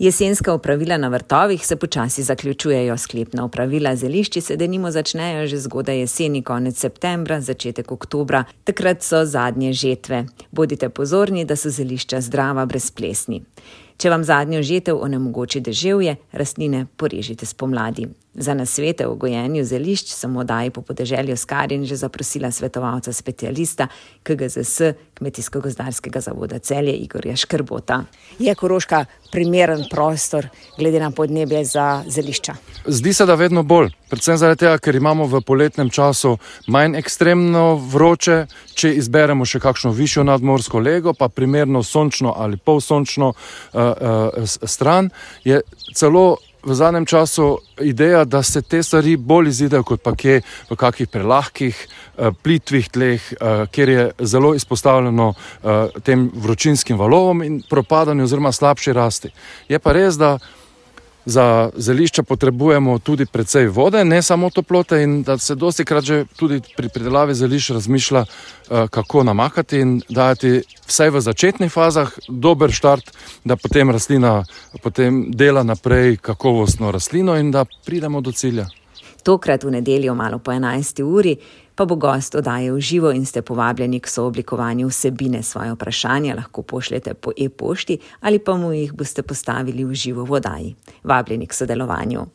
Jesenska opravila na vrtovih se počasi zaključujejo. Sklepna opravila zelišči se denimo začnejo že zgodaj jeseni, konec septembra, začetek oktobra. Takrat so zadnje žetve. Bodite pozorni, da so zelišča zdrava, brez plesni. Če vam zadnjo žetev onemogoči deževje, rastline porežite spomladi. Za nasvete o gojenju zelišč sem v oddaji Po podeželju s Karin že zaprosila svetovalca specialista KGZS Kmetijsko-gozdarskega zavoda Celje Igorja Škrbota. Je Koroška primeren prostor glede na podnebje za zelišča? Zdi se, da vedno bolj. Predvsem zaradi tega, ker imamo v poletnem času manj ekstremno vroče, če izberemo še kakšno višjo nadmorsko lego, pa primerno sončno ali polsončno stran, je celo v zadnjem času ideja, da se te stvari bolj izidejo kot pa kje v kakih prelahkih, plitvih tleh, kjer je zelo izpostavljeno tem vročinskim valovom in propadanju oziroma slabši rasti. Je pa res, da za zelišča potrebujemo tudi precej vode, ne samo toplote, in da se dostikrat že tudi pri pridelavi zelišč razmišlja, kako namakati in dajati vsaj v začetnih fazah dober štart, da potem rastlina dela naprej kakovostno rastlino in da pridemo do cilja. Tokrat v nedeljo malo po 11. uri pa bo gost oddaje v živo in ste povabljeni k sooblikovanju vsebine. Svoje vprašanja lahko pošljete po e-pošti ali pa mu jih boste postavili v živo v oddaji. Vabljeni k sodelovanju.